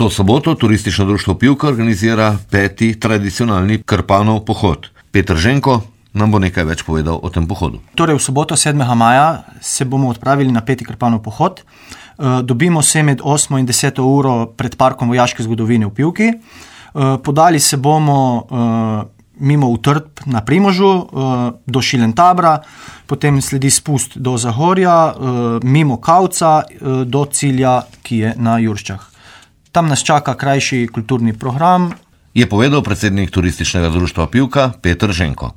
To soboto turistično društvo Pivka organizira 5. tradicionalni Krpanov pohod. Peter Ženko nam bo nekaj več povedal o tem pohodu. Torej v soboto 7. maja se bomo odpravili na 5. Krpanov pohod. Dobimo se med 8. in 10. uro pred parkom vojaške zgodovine v Pivki. Podali se bomo mimo Utrdb na Primožu do Šilentabra, potem sledi spust do Zahorja, mimo Kavca do cilja, ki je na Jurščah. Tam nas čaka krajši kulturni program. Je povedal predsednik turističnega društva Pivka Peter Ženko.